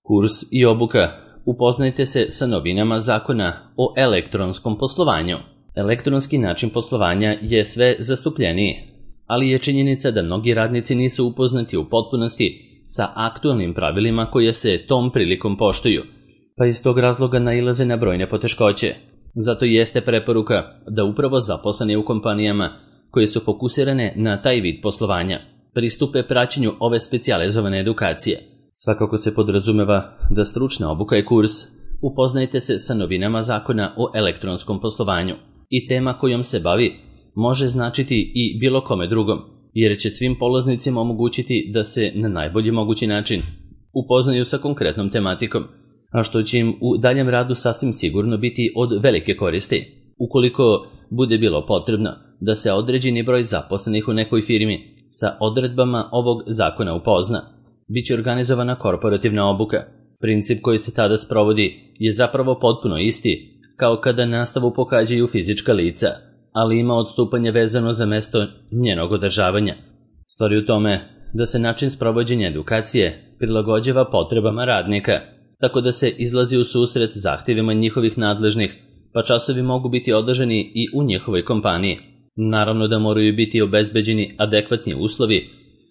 Kurs i obuka. Upoznajte se sa novinama zakona o elektronskom poslovanju. Elektronski način poslovanja je sve zastupljeniji, ali je činjenica da mnogi radnici nisu upoznati u potpunosti sa aktualnim pravilima koje se tom prilikom poštuju, pa iz tog razloga nailaze na brojne poteškoće. Zato jeste preporuka da upravo zaposleni u kompanijama koje su fokusirane na taj vid poslovanja pristupe praćenju ove specijalizovane edukacije. Svakako se podrazumeva da stručna obuka i kurs upoznajte se sa novinama zakona o elektronskom poslovanju i tema kojom se bavi može značiti i bilo kome drugom, jer će svim polaznicima omogućiti da se na najbolji mogući način upoznaju sa konkretnom tematikom, a što će im u daljem radu sasvim sigurno biti od velike koristi. Ukoliko bude bilo potrebno da se određeni broj zaposlenih u nekoj firmi sa odredbama ovog zakona upozna, bit će organizovana korporativna obuka. Princip koji se tada sprovodi je zapravo potpuno isti kao kada nastavu pohađaju fizička lica, ali ima odstupanje vezano za mesto njenog održavanja. Stvar je u tome da se način sprovođenja edukacije prilagođava potrebama radnika, tako da se izlazi u susret zahtjevima njihovih nadležnih, pa časovi mogu biti održani i u njihovoj kompaniji. Naravno da moraju biti obezbeđeni adekvatni uslovi,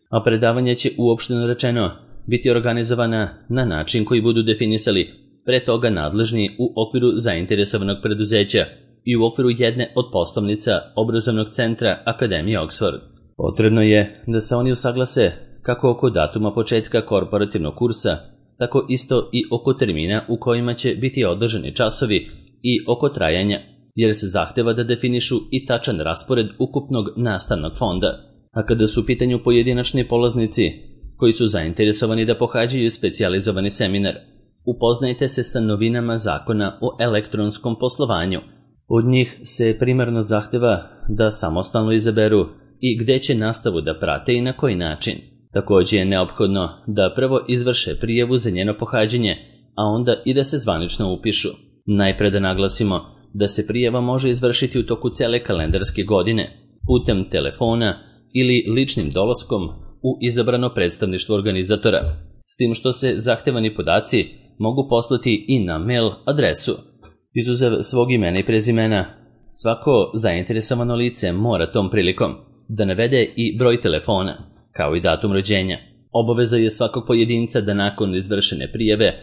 a predavanje će uopšteno rečeno biti organizovana na način koji budu definisali pre toga nadležni u okviru zainteresovanog preduzeća i u okviru jedne od poslovnica obrazovnog centra Akademije Oxford. Potrebno je da se oni usaglase kako oko datuma početka korporativnog kursa, tako isto i oko termina u kojima će biti održani časovi i oko trajanja, jer se zahteva da definišu i tačan raspored ukupnog nastavnog fonda. A kada su u pitanju pojedinačni polaznici koji su zainteresovani da pohađaju specijalizovani seminar, upoznajte se sa novinama zakona o elektronskom poslovanju. Od njih se primarno zahteva da samostalno izaberu i gde će nastavu da prate i na koji način. Također je neophodno da prvo izvrše prijavu za njeno pohađanje, a onda i da se zvanično upišu. Najpre da naglasimo da se prijava može izvršiti u toku cele kalendarske godine, putem telefona ili ličnim dolaskom u izabrano predstavništvo organizatora, s tim što se zahtevani podaci mogu poslati i na mail adresu. Izuzev svog imena i prezimena, svako zainteresovano lice mora tom prilikom da navede i broj telefona, kao i datum rođenja. Obaveza je svakog pojedinca da nakon izvršene prijave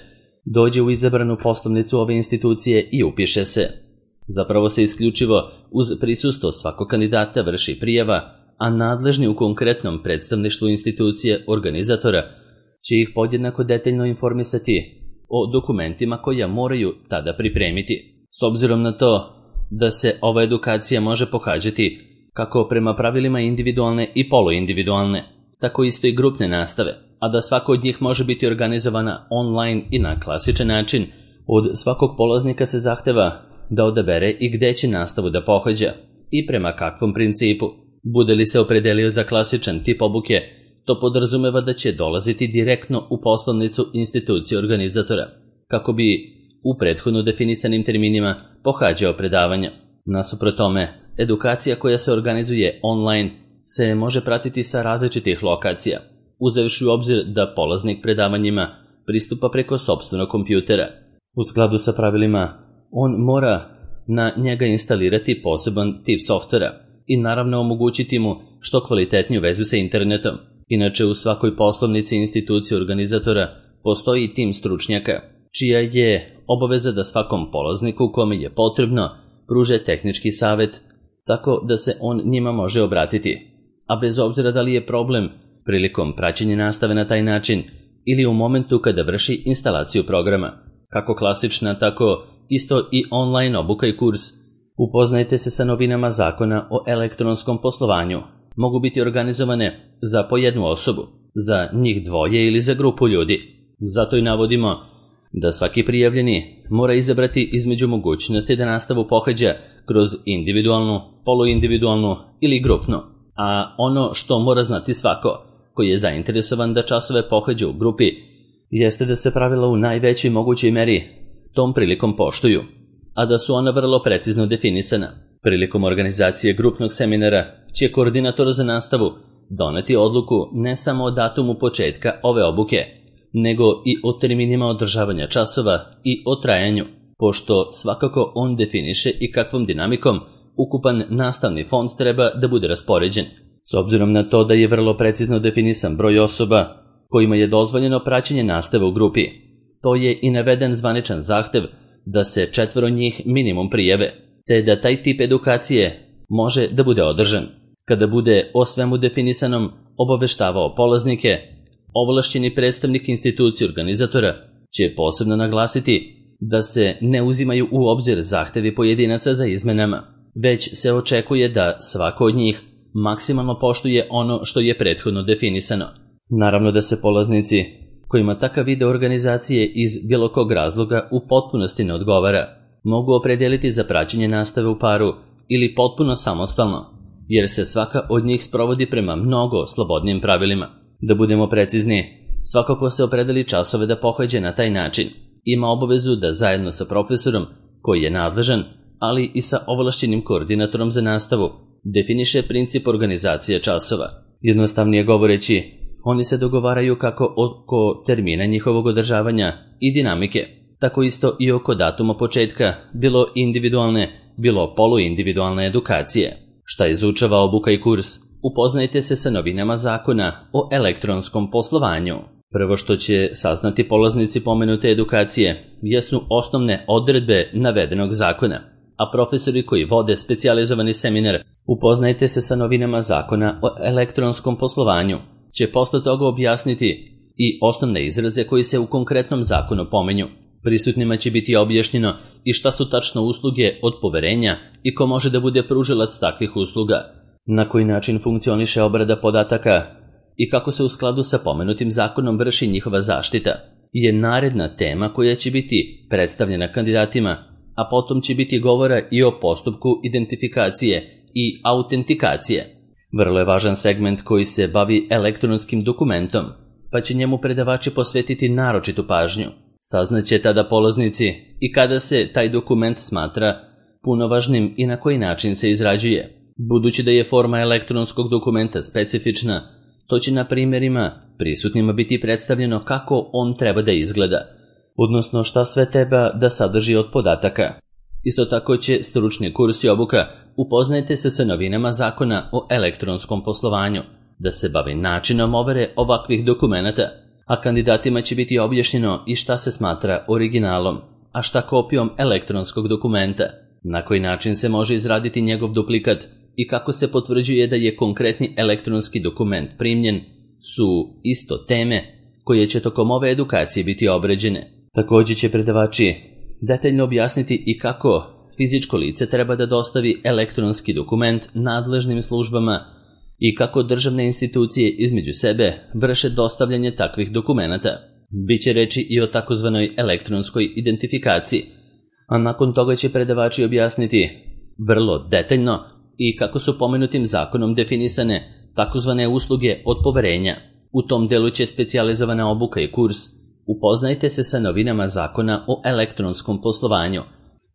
dođe u izabranu poslovnicu ove institucije i upiše se. Zapravo se isključivo uz prisustvo svakog kandidata vrši prijava, a nadležni u konkretnom predstavništvu institucije organizatora će ih podjednako detaljno informisati o dokumentima koja moraju tada pripremiti. S obzirom na to da se ova edukacija može pohađati kako prema pravilima individualne i poluindividualne, tako isto i grupne nastave, a da svako od njih može biti organizovana online i na klasičan način, od svakog polaznika se zahteva da odabere i gde će nastavu da pohađa i prema kakvom principu. Bude li se opredelio za klasičan tip obuke, to podrazumeva da će dolaziti direktno u poslovnicu institucije organizatora, kako bi u prethodno definisanim terminima pohađao predavanja. Nasuprot tome, edukacija koja se organizuje online se može pratiti sa različitih lokacija, uzevši u obzir da polaznik predavanjima pristupa preko sopstvenog kompjutera. U skladu sa pravilima, on mora na njega instalirati poseban tip softvera i naravno omogućiti mu što kvalitetniju vezu sa internetom. Inače, u svakoj poslovnici institucije organizatora postoji tim stručnjaka, čija je obaveza da svakom polazniku kome je potrebno pruže tehnički savet, tako da se on njima može obratiti. A bez obzira da li je problem prilikom praćenja nastave na taj način ili u momentu kada vrši instalaciju programa, kako klasična, tako isto i online obuka i kurs, upoznajte se sa novinama zakona o elektronskom poslovanju. Mogu biti organizovane za po jednu osobu, za njih dvoje ili za grupu ljudi. Zato i navodimo da svaki prijavljeni mora izabrati između mogućnosti da nastavu pohađa kroz individualnu, poluindividualnu ili grupnu. A ono što mora znati svako koji je zainteresovan da časove pohađa u grupi jeste da se pravila u najvećoj mogućoj meri tom prilikom poštuju, a da su ona vrlo precizno definisana. Prilikom organizacije grupnog seminara će koordinator za nastavu doneti odluku ne samo o datumu početka ove obuke, nego i o terminima održavanja časova i o trajanju, pošto svakako on definiše i kakvom dinamikom ukupan nastavni fond treba da bude raspoređen. S obzirom na to da je vrlo precizno definisan broj osoba kojima je dozvoljeno praćenje nastave u grupi, to je i naveden zvaničan zahtev da se 4 njih minimum prijave, te da taj tip edukacije može da bude održan. Kada bude o svemu definisanom obaveštavao polaznike, ovlašćeni predstavnik institucije organizatora će posebno naglasiti da se ne uzimaju u obzir zahtevi pojedinaca za izmenama, već se očekuje da svako od njih maksimalno poštuje ono što je prethodno definisano. Naravno da se polaznici kojima takav video organizacije iz bilo kog razloga u potpunosti ne odgovara, mogu opredijeliti za praćenje nastave u paru ili potpuno samostalno, jer se svaka od njih sprovodi prema mnogo slobodnijim pravilima. Da budemo precizni, svako ko se opredeli časove da pohađa na taj način, ima obavezu da zajedno sa profesorom koji je nadležan, ali i sa ovlašćenim koordinatorom za nastavu, definiše princip organizacije časova. Jednostavnije govoreći, oni se dogovaraju kako oko termina njihovog održavanja i dinamike, tako isto i oko datuma početka, bilo individualne, bilo poluindividualne edukacije. Šta izučava obuka i kurs? Upoznajte se sa novinama zakona o elektronskom poslovanju. Prvo što će saznati polaznici pomenute edukacije jesu osnovne odredbe navedenog zakona, a profesori koji vode specijalizovani seminar upoznajte se sa novinama zakona o elektronskom poslovanju će posle toga objasniti i osnovne izraze koji se u konkretnom zakonu pomenju. Prisutnima će biti objašnjeno i šta su tačno usluge od poverenja i ko može da bude pružilac takvih usluga, na koji način funkcioniše obrada podataka i kako se u skladu sa pomenutim zakonom vrši njihova zaštita, je naredna tema koja će biti predstavljena kandidatima, a potom će biti govora i o postupku identifikacije i autentikacije. Vrlo je važan segment koji se bavi elektronskim dokumentom, pa će njemu predavači posvetiti naročitu pažnju. Saznaće tada polaznici i kada se taj dokument smatra punovažnim i na koji način se izrađuje. Budući da je forma elektronskog dokumenta specifična, to će na primjerima prisutnima biti predstavljeno kako on treba da izgleda, odnosno šta sve treba da sadrži od podataka. Isto tako će stručni kurs i obuka upoznajte se sa novinama zakona o elektronskom poslovanju, da se bavi načinom overe ovakvih dokumenata, a kandidatima će biti objašnjeno i šta se smatra originalom, a šta kopijom elektronskog dokumenta, na koji način se može izraditi njegov duplikat i kako se potvrđuje da je konkretni elektronski dokument primljen, su isto teme koje će tokom ove edukacije biti obrađene. Također će predavači detaljno objasniti i kako fizičko lice treba da dostavi elektronski dokument nadležnim službama i kako državne institucije između sebe vrše dostavljanje takvih dokumenata. Biće reči i o takozvanoj elektronskoj identifikaciji, a nakon toga će predavači objasniti vrlo detaljno i kako su pomenutim zakonom definisane takozvane usluge od poverenja. U tom delu će specijalizovana obuka i kurs upoznajte se sa novinama zakona o elektronskom poslovanju,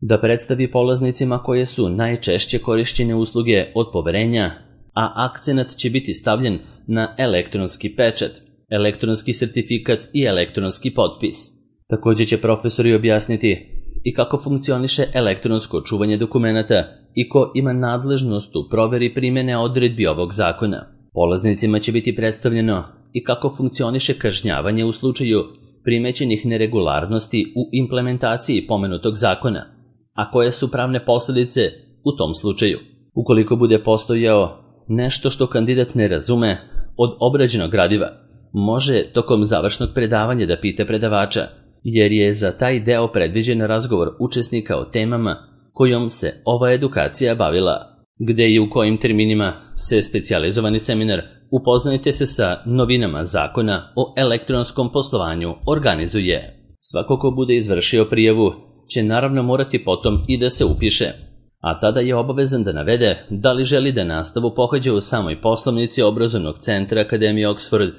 da predstavi polaznicima koje su najčešće korišćene usluge od poverenja, a akcenat će biti stavljen na elektronski pečat, elektronski sertifikat i elektronski potpis. Također će profesori objasniti i kako funkcioniše elektronsko čuvanje dokumenata i ko ima nadležnost u proveri primjene odredbi ovog zakona. Polaznicima će biti predstavljeno i kako funkcioniše kažnjavanje u slučaju primećenih neregularnosti u implementaciji pomenutog zakona, a koje su pravne posljedice u tom slučaju. Ukoliko bude postojao nešto što kandidat ne razume od obrađenog gradiva, može tokom završnog predavanja da pita predavača, jer je za taj deo predviđen razgovor učesnika o temama kojom se ova edukacija bavila. Gde i u kojim terminima se specijalizovani seminar upoznajte se sa novinama zakona o elektronskom poslovanju organizuje. Svako ko bude izvršio prijavu će naravno morati potom i da se upiše, a tada je obavezan da navede da li želi da nastavu pohađa u samoj poslovnici obrazovnog centra Akademije Oxford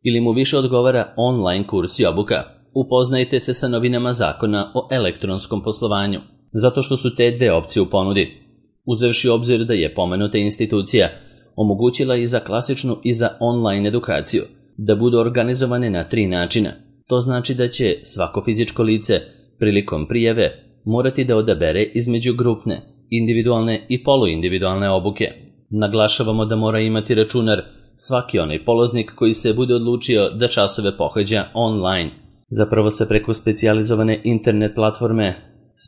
ili mu više odgovara online kurs i obuka. Upoznajte se sa novinama zakona o elektronskom poslovanju, zato što su te dve opcije u ponudi. Uzevši obzir da je pomenuta institucija omogućila i za klasičnu i za online edukaciju da budu organizovane na 3 načina. To znači da će svako fizičko lice prilikom prijave morati da odabere između grupne, individualne i poluindividualne obuke. Naglašavamo da mora imati računar svaki onaj polaznik koji se bude odlučio da časove pohađa online. Zapravo se preko specijalizovane internet platforme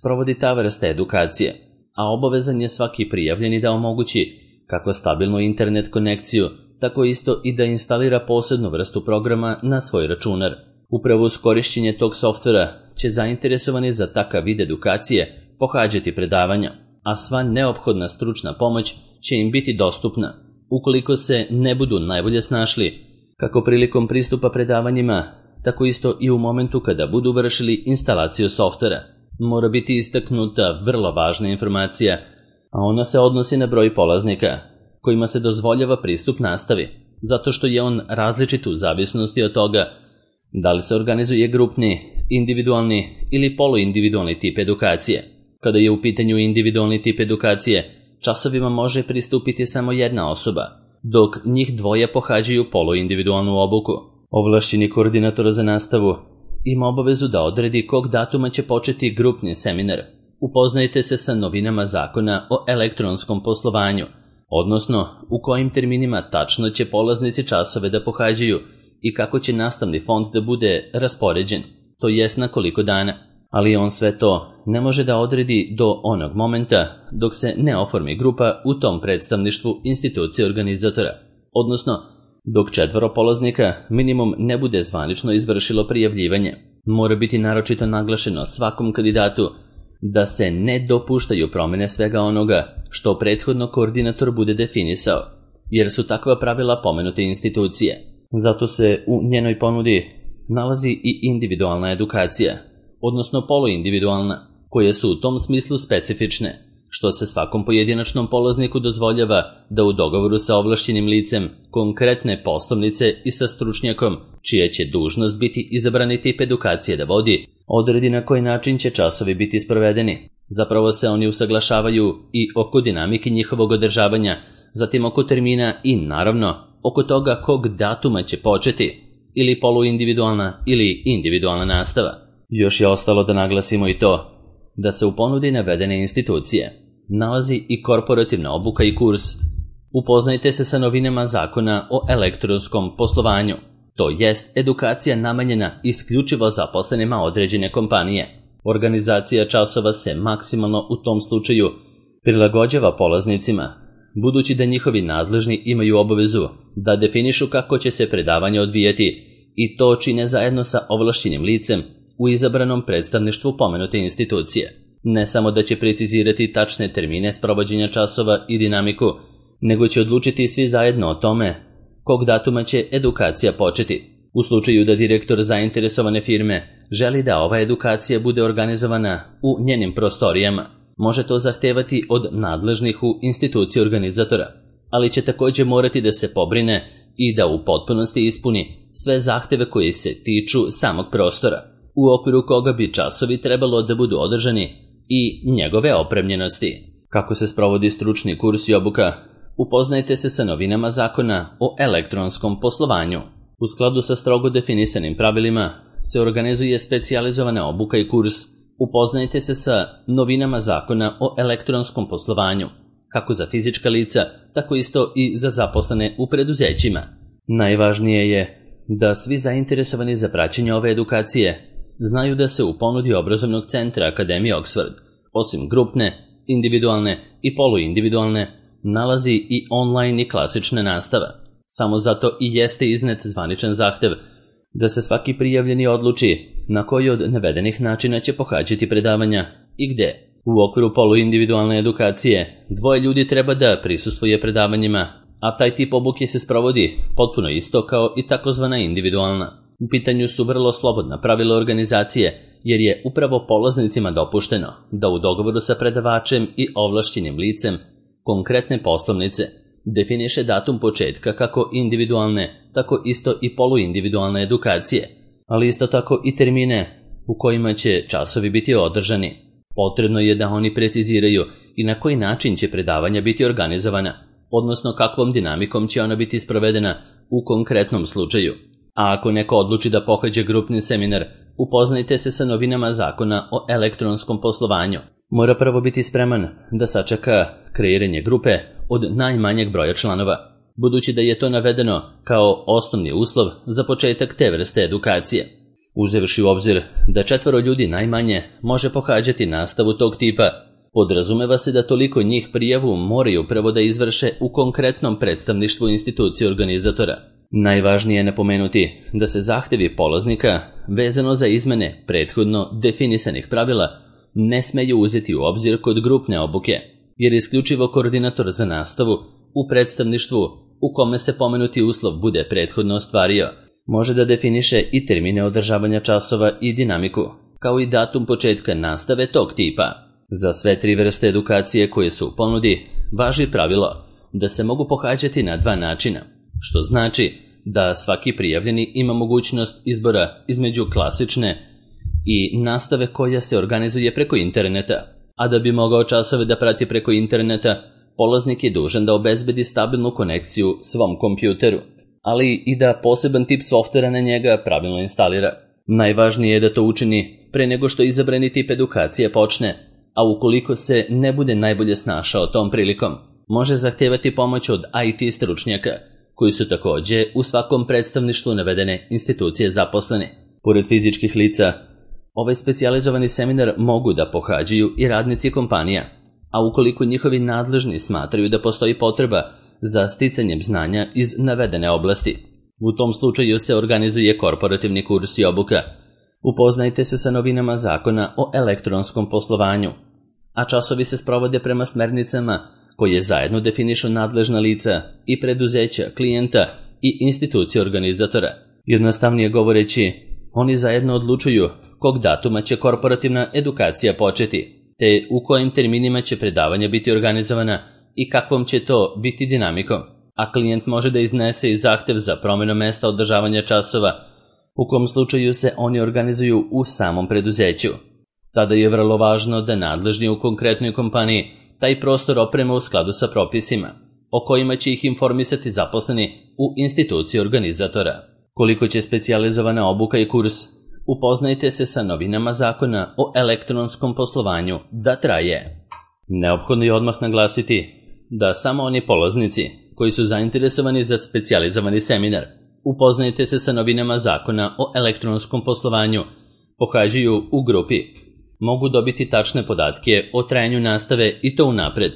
sprovodi ta vrsta edukacije, a obavezan je svaki prijavljeni da omogući kako stabilnu internet konekciju, tako isto i da instalira posebnu vrstu programa na svoj računar. Upravo uz korišćenje tog softvera će zainteresovani za takav vid edukacije pohađati predavanja, a sva neophodna stručna pomoć će im biti dostupna, ukoliko se ne budu najbolje snašli, kako prilikom pristupa predavanjima, tako isto i u momentu kada budu vršili instalaciju softvera. Mora biti istaknuta vrlo važna informacija, a ona se odnosi na broj polaznika kojima se dozvoljava pristup nastavi, zato što je on različit u zavisnosti od toga da li se organizuje grupni, individualni ili poluindividualni tip edukacije. Kada je u pitanju individualni tip edukacije, časovima može pristupiti samo jedna osoba, dok njih dvoje pohađaju poluindividualnu obuku. Ovlašćeni koordinator za nastavu ima obavezu da odredi kog datuma će početi grupni seminar. Upoznajte se sa novinama zakona o elektronskom poslovanju, odnosno u kojim terminima tačno će polaznici časove da pohađaju i kako će nastavni fond da bude raspoređen, to jest na koliko dana. Ali on sve to ne može da odredi do onog momenta dok se ne oformi grupa u tom predstavništvu institucije organizatora, odnosno dok 4 polaznika minimum ne bude zvanično izvršilo prijavljivanje. Mora biti naročito naglašeno svakom kandidatu da se ne dopuštaju promene svega onoga što prethodno koordinator bude definisao, jer su takva pravila pomenute institucije. Zato se u njenoj ponudi nalazi i individualna edukacija, odnosno poluindividualna, koje su u tom smislu specifične, što se svakom pojedinačnom polazniku dozvoljava da u dogovoru sa ovlašćenim licem konkretne poslovnice i sa stručnjakom, čija će dužnost biti izabrani tip edukacije da vodi, odredi na koji način će časovi biti sprovedeni. Zapravo se oni usaglašavaju i oko dinamike njihovog održavanja, zatim oko termina i naravno oko toga kog datuma će početi, ili poluindividualna ili individualna nastava. Još je ostalo da naglasimo i to da se u ponudi navedene institucije nalazi i korporativna obuka i kurs. Upoznajte se sa novinama zakona o elektronskom poslovanju, to jest edukacija namenjena isključivo zaposlenima određene kompanije. Organizacija časova se maksimalno u tom slučaju prilagođava polaznicima, budući da njihovi nadležni imaju obavezu da definišu kako će se predavanje odvijati i to čine zajedno sa ovlašćenim licem u izabranom predstavništvu pomenute institucije. Ne samo da će precizirati tačne termine sprovođenja časova i dinamiku, nego će odlučiti svi zajedno o tome kog datuma će edukacija početi. U slučaju da direktor zainteresovane firme želi da ova edukacija bude organizovana u njenim prostorijama, može to zahtevati od nadležnih u instituciji organizatora, ali će također morati da se pobrine i da u potpunosti ispuni sve zahteve koji se tiču samog prostora, u okviru koga bi časovi trebalo da budu održani i njegove opremljenosti. Kako se sprovodi stručni kurs i obuka? Upoznajte se sa novinama zakona o elektronskom poslovanju. U skladu sa strogo definisanim pravilima se organizuje specijalizovana obuka i kurs. Upoznajte se sa novinama zakona o elektronskom poslovanju, kako za fizička lica, tako isto i za zaposlene u preduzećima. Najvažnije je da svi zainteresovani za praćenje ove edukacije znaju da se u ponudi obrazovnog centra Akademije Oxford, osim grupne, individualne i poluindividualne, nalazi i online i klasična nastava. Samo zato i jeste iznet zvaničan zahtev da se svaki prijavljeni odluči na koji od navedenih načina će pohađati predavanja i gde. U okviru poluindividualne edukacije 2 ljudi treba da prisustvuje predavanjima, a taj tip obuke se sprovodi potpuno isto kao i takozvana individualna. U pitanju su vrlo slobodna pravila organizacije, jer je upravo polaznicima dopušteno da u dogovoru sa predavačem i ovlašćenim licem konkretne poslovnice definiše datum početka kako individualne, tako isto i poluindividualne edukacije, ali isto tako i termine u kojima će časovi biti održani. Potrebno je da oni preciziraju i na koji način će predavanja biti organizovana, odnosno kakvom dinamikom će ona biti sprovedena u konkretnom slučaju. A ako neko odluči da pohađa grupni seminar, upoznajte se sa novinama zakona o elektronskom poslovanju. Mora prvo biti spreman da sačeka kreiranje grupe od najmanjeg broja članova, budući da je to navedeno kao osnovni uslov za početak te vrste edukacije. Uzevši u obzir da 4 ljudi najmanje može pohađati nastavu tog tipa, podrazumeva se da toliko njih prijavu moraju prvo da izvrše u konkretnom predstavništvu institucije organizatora. Najvažnije je napomenuti da se zahtevi polaznika vezano za izmene prethodno definisanih pravila ne smeju uzeti u obzir kod grupne obuke, jer isključivo koordinator za nastavu u predstavništvu u kome se pomenuti uslov bude prethodno ostvario, može da definiše i termine održavanja časova i dinamiku, kao i datum početka nastave tog tipa. Za sve 3 vrste edukacije koje su u ponudi važi pravilo da se mogu pohađati na 2 načina, što znači da svaki prijavljeni ima mogućnost izbora između klasične i nastave koja se organizuje preko interneta, a da bi mogao časove da prati preko interneta, polaznik je dužan da obezbedi stabilnu konekciju svom kompjuteru, ali i da poseban tip softvera na njega pravilno instalira. Najvažnije je da to učini pre nego što izabrani tip edukacije počne, a ukoliko se ne bude najbolje snašao tom prilikom, može zahtevati pomoć od IT stručnjaka, koji su takođe u svakom predstavništvu navedene institucije zaposleni. Pored fizičkih lica, ovaj specijalizovani seminar mogu da pohađaju i radnici kompanija, a ukoliko njihovi nadležni smatraju da postoji potreba za sticanjem znanja iz navedene oblasti. U tom slučaju se organizuje korporativni kurs i obuka. Upoznajte se sa novinama zakona o elektronskom poslovanju, a časovi se sprovode prema smernicama koje zajedno definišu nadležna lica i preduzeća, klijenta i institucije organizatora. Jednostavnije govoreći, oni zajedno odlučuju kog datuma će korporativna edukacija početi, te u kojim terminima će predavanja biti organizovana i kakvom će to biti dinamikom, a klijent može da iznese i zahtev za promjenu mesta održavanja časova, u kom slučaju se oni organizuju u samom preduzeću. Tada je vrlo važno da nadležni u konkretnoj kompaniji taj prostor oprema u skladu sa propisima, o kojima će ih informisati zaposleni u instituciji organizatora. Koliko će specijalizovana obuka i kurs, upoznajte se sa novinama zakona o elektronskom poslovanju da traje. Neophodno je odmah naglasiti da samo oni polaznici koji su zainteresovani za specijalizovani seminar, upoznajte se sa novinama zakona o elektronskom poslovanju, pohađaju u grupi, mogu dobiti tačne podatke o trajanju nastave i to unapred.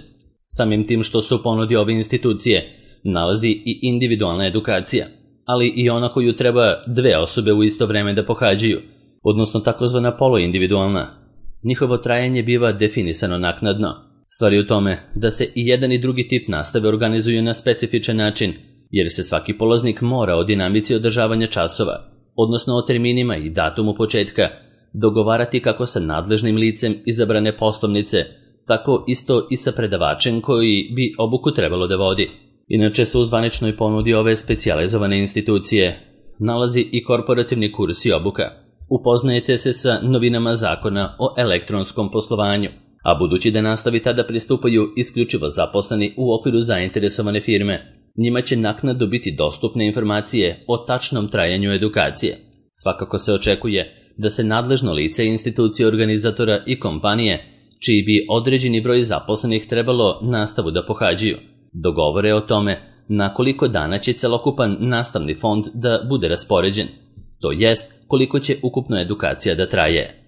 Samim tim što se u ponudi ove institucije nalazi i individualna edukacija, ali i ona koju treba 2 osobe u isto vreme da pohađaju, odnosno takozvana poluindividualna. Njihovo trajanje biva definisano naknadno. Stvar je u tome da se i jedan i drugi tip nastave organizuju na specifičan način, jer se svaki polaznik mora o dinamici održavanja časova, odnosno o terminima i datumu početka, dogovarati kako sa nadležnim licem izabrane poslovnice, tako isto i sa predavačem koji bi obuku trebalo da vodi. Inače se u zvaničnoj ponudi ove specijalizovane institucije nalazi i korporativni kurs i obuka. Upoznajete se sa novinama zakona o elektronskom poslovanju, a budući da nastavi tada pristupaju isključivo zaposleni u okviru zainteresovane firme, njima će naknadno biti dostupne informacije o tačnom trajanju edukacije. Svakako se očekuje da se nadležno lice institucije organizatora i kompanije, čiji bi određeni broj zaposlenih trebalo nastavu da pohađaju, dogovore o tome na koliko dana će celokupan nastavni fond da bude raspoređen, to jest koliko će ukupno edukacija da traje.